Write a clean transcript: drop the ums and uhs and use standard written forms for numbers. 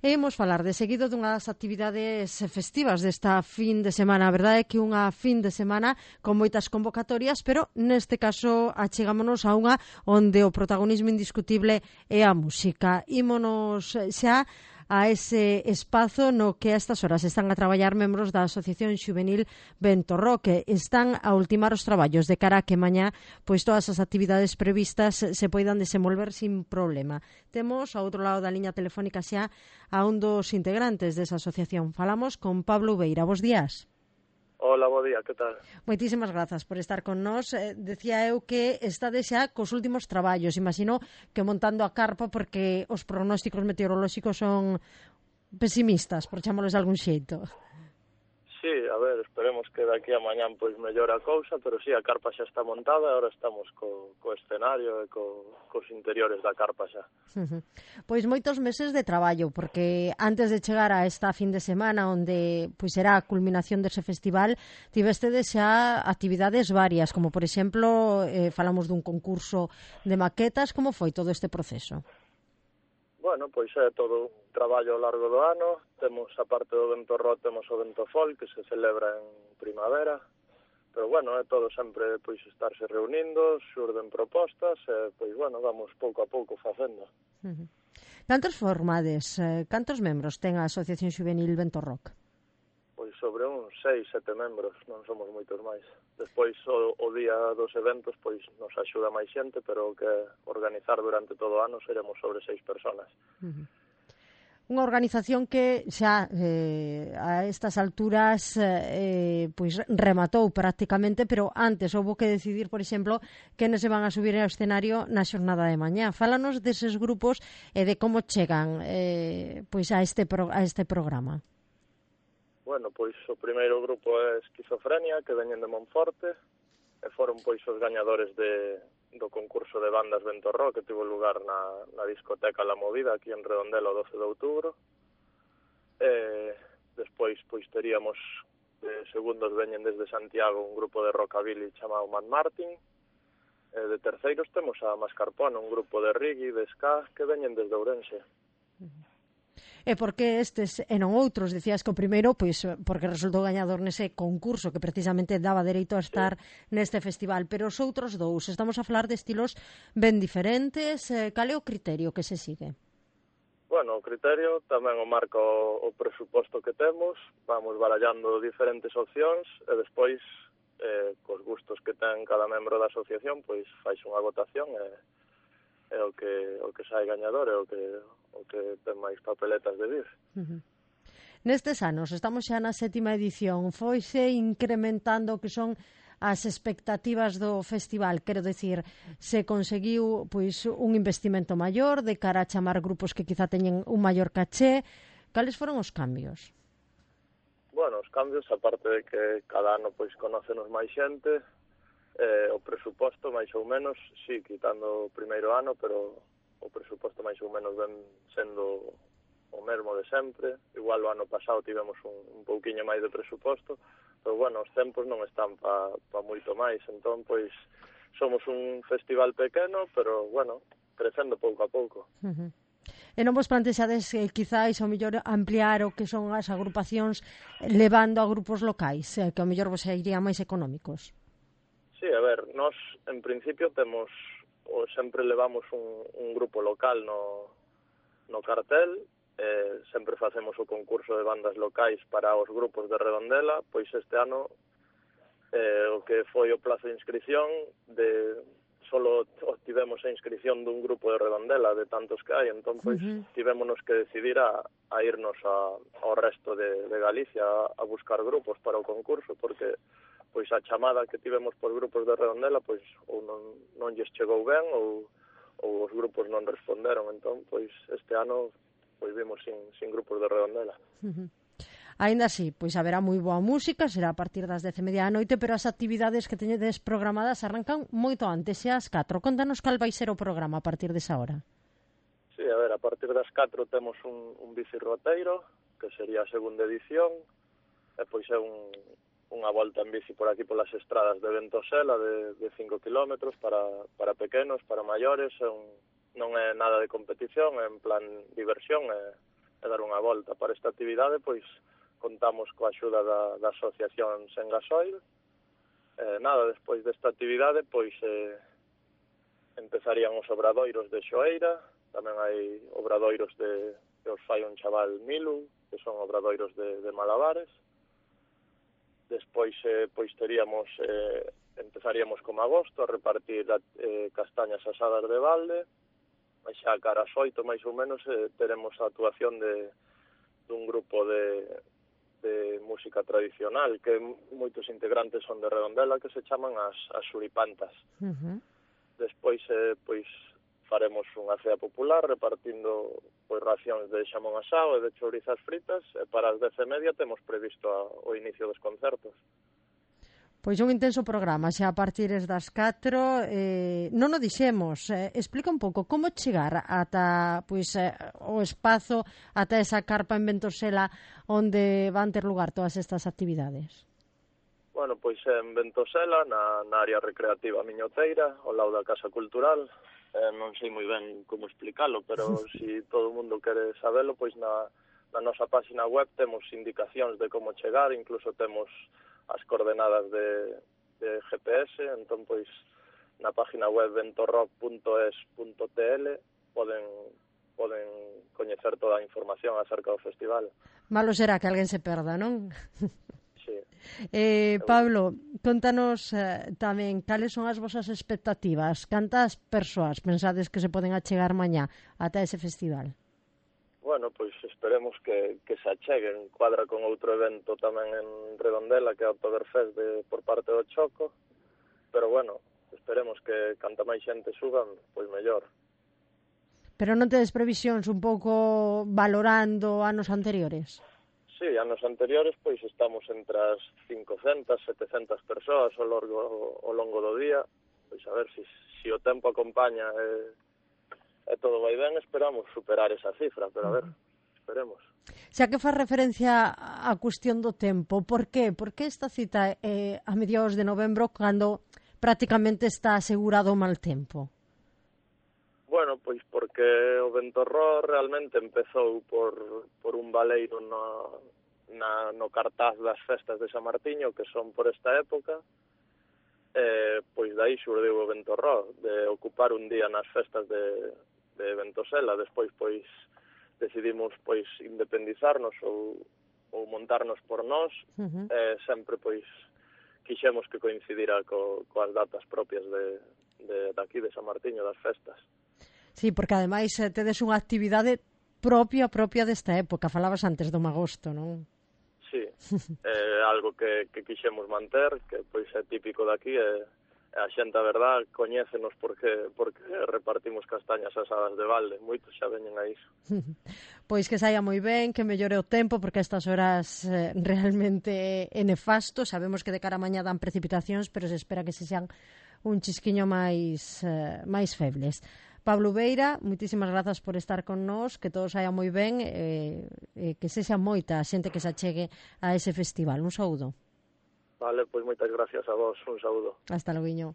E imos falar de seguido dunha das actividades festivas desta fin de semana. A verdade é que unha fin de semana con moitas convocatorias, pero neste caso achegámonos a unha onde o protagonismo indiscutible é a música. Ímonos xa a ese espazo no que a estas horas están a traballar membros da Asociación Xuvenil Ventorro, que están a ultimar os traballos de cara a que mañá pois todas as actividades previstas se poidan desenvolver sin problema. Temos ao outro lado da liña telefónica xa a un dos integrantes desa asociación. Falamos con Pablo Ubeira. Bos días. Hola, bo día, que tal? Moitísimas grazas por estar con nós. Decía eu que estades xa cos últimos traballos. Imagino que montando a carpa porque os pronósticos meteorolóxicos son pesimistas, por chamámosles de algún xeito. Sí, a ver, esperemos que daqui a mañán pois mellore a cousa, pero sí, a carpa xa está montada, agora estamos co escenario e cos interiores da carpa xa. Pois moitos meses de traballo, porque antes de chegar a esta fin de semana onde pois será a culminación dese festival, tivestedes xa actividades varias, como por exemplo, falamos dun concurso de maquetas. Como foi todo este proceso? Bueno, pois é todo un traballo ao largo do ano. Temos, a parte do Ventorro, temos o Ventofol, que se celebra en primavera. Pero, bueno, é todo sempre pois estarse reunindo, xurden propostas, e, pois, bueno, vamos pouco a pouco facendo. Cantos formades, cantos membros ten a Asociación Xuvenil Ventorroc? Pois sobre uns 6, 7 membros, non somos moitos máis. Despois, o día dos eventos, pois nos axuda máis xente, pero o que organizar durante todo o ano seremos sobre 6 personas. Unha organización que xa a estas alturas pois rematou prácticamente, pero antes houbo que decidir, por exemplo, quenes se van a subir ao escenario na xornada de mañá. Fálanos deses grupos e de como chegan pois a este programa. Bueno, pois o primeiro grupo é Esquizofrenia, que veñen de Monforte, e foron pois os gañadores do concurso de bandas Ventorro, que tivo lugar na discoteca La Movida, aquí en Redondela, o 12 de outubro. Despois pois teríamos segundos veñen desde Santiago un grupo de rockabilly chamado Mad Martin. De terceiros temos a Mascarpone, un grupo de reggae, de ska, que veñen desde Ourense. E por que estes e non outros? Decías que o primeiro, pois, porque resultou gañador nese concurso que precisamente daba dereito a estar neste festival, pero os outros dous, estamos a falar de estilos ben diferentes. Cal é o criterio que se sigue? Bueno, o criterio tamén o marca o presuposto que temos, vamos barallando diferentes opcións e despois, cos gustos que ten cada membro da asociación, pois fais unha votación e o que sai gañador é o que ten máis papeletas de vir. Nestes anos, estamos xa na 7ª edición, foise incrementando o que son as expectativas do festival, quero dicir, se conseguiu pois un investimento maior de cara a chamar grupos que quizá teñen un maior caché. Cales foron os cambios? Bueno, os cambios, aparte de que cada ano pois conócenos máis xente, o presuposto máis ou menos, sí, quitando o primeiro ano, pero o presuposto máis ou menos ven sendo o mesmo de sempre. Igual o ano pasado tivemos un pouquiño máis de presuposto, pero bueno, os tempos non están pa moito máis, entón pois somos un festival pequeno, pero bueno, crecendo pouco a pouco. E non vos plantexades quizáis ao mellor ampliar o que son as agrupacións levando a grupos locais, que ao mellor vos irían máis económicos? Sí, a ver, nós en principio temos, ou sempre levamos un grupo local no cartel, sempre facemos o concurso de bandas locais para os grupos de Redondela, pois este ano o que foi o plazo de inscripción, solo obtivemos a inscripción dun grupo de Redondela, de tantos que hai, entón pois tivémonos que decidir a irnos ao resto de Galicia a buscar grupos para o concurso, porque pois a chamada que tivemos por grupos de Redondela pois ou non lles chegou ben ou os grupos non responderon, entón pois este ano pois vimos sin grupos de Redondela. Aínda así, pois haberá moi boa música, será a partir das 10:30 da noite, pero as actividades que teñedes programadas arrancan moito antes, xa ás 4. Contanos cal vai ser o programa a partir desa hora. Sí, a ver, a partir das 4 temos un bicirroteiro, que sería a segunda edición, e pois é unha volta en bici por aquí polas estradas de Ventosela de 5 kilómetros para pequenos, para maiores, non é nada de competición, é en plan diversión, e dar unha volta. Para esta actividade, pois, contamos coa axuda da Asociación Sen Gasoil. Despois desta actividade, pois, empezarían os obradoiros de Xoeira, tamén hai obradoiros que os fai un chaval Milu, que son obradoiros de malabares. Despois, pois, empezaríamos como agosto a repartir castañas asadas de balde, e xa cara ás 8, máis ou menos, teremos a actuación dun grupo de música tradicional, que moitos integrantes son de Redondela, que se chaman as Suripantas. Despois, pois, faremos unha cea popular repartindo pois racións de xamón asado e de chourizas fritas, e para as 10:30 temos previsto o inicio dos concertos. Pois un intenso programa, xa a partir das 4, non o dixemos, explica un pouco como chegar ata pois, o espazo, ata esa carpa en Ventosela onde van ter lugar todas estas actividades. Bueno, pois en Ventosela, na área recreativa Miñoteira, ao lado da Casa Cultural. Non sei moi ben como explicalo, pero se todo o mundo quere sabelo, pois na nosa página web temos indicacións de como chegar, incluso temos as coordenadas de GPS, entón, pois, na página web ventorrock.es.tl poden coñecer toda a información acerca do festival. Malo será que alguén se perda, non? Sí. Pablo, contanos tamén cales son as vosas expectativas, cantas persoas pensades que se poden achegar mañá ata ese festival? Bueno, pois esperemos que se acheguen. Cuadra con outro evento tamén en Redondela, que é o Oktoberfest por parte do Choco, pero bueno, esperemos que canta máis xente suban, pois mellor. Pero non tedes previsións un pouco valorando anos anteriores? Sí, anos anteriores, pois estamos entre as 500, 700 persoas ao longo do día, pois a ver se o tempo acompaña e todo vai ben, esperamos superar esa cifra, pero a ver, esperemos. Xa que faz referencia á cuestión do tempo, por qué? Por que esta cita a mediados de novembro cando prácticamente está asegurado o mal tempo? Bueno, pois porque o Ventorró realmente empezou por un baleiro no cartaz das festas de San Martiño, que son por esta época. Pois dai xurdiu o Ventorró, de ocupar un día nas festas de Ventosela. Despois, pois, decidimos, pois, independizarnos ou montarnos por nós. Sempre, pois, quixemos que coincidira coas datas propias de aquí, de San Martiño, das festas. Sí, porque ademais tedes unha actividade propia desta época. Falabas antes do magosto, non? Sí, é algo que quixemos manter, que pois é típico daqui, e a xente, a verdad, coñécenos porque repartimos castañas asadas de balde. Moitos xa veñen a iso. Pois que saia moi ben, que mellore o tempo, porque estas horas realmente é nefasto. Sabemos que de cara a mañá dan precipitacións, pero se espera que se sean un chisquiño máis febles. Pablo Beira, moitísimas grazas por estar con nós, que todo saia moi ben, que sexa moita a xente que se achegue a ese festival. Un saúdo. Vale, pois moitas gracias a vos, un saúdo. Hasta logo.